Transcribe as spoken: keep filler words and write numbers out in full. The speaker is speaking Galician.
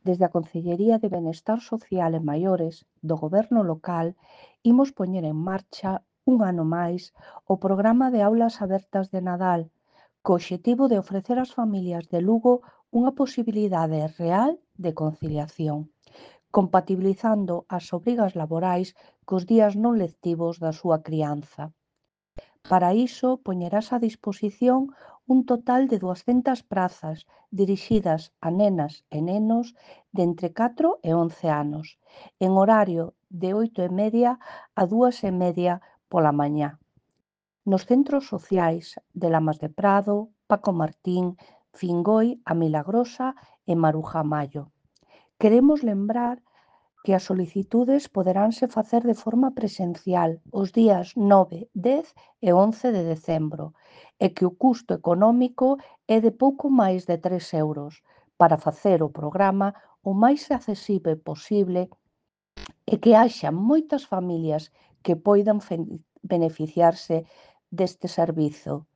Desde a Concellería de Benestar Social e Maiores do Goberno local imos poñer en marcha un ano máis o programa de aulas abertas de Nadal, co obxectivo de ofrecer ás familias de Lugo unha posibilidade real de conciliación, compatibilizando as obrigas laborais cos días non lectivos da súa crianza. Para iso poñerase a disposición un total de duascentas prazas dirixidas a nenas e nenos de entre catro e once anos, en horario de oito e media a dúas e media pola mañá, nos centros sociais de Lamas de Prado, Paco Martín, Fingoi, A Milagrosa e Maruja Mallo. Queremos lembrar que as solicitudes poderanse facer de forma presencial os días nove, dez e once de decembro e que o custo económico é de pouco máis de tres euros para facer o programa o máis accesible posible e que haxa moitas familias que poidan beneficiarse deste servizo.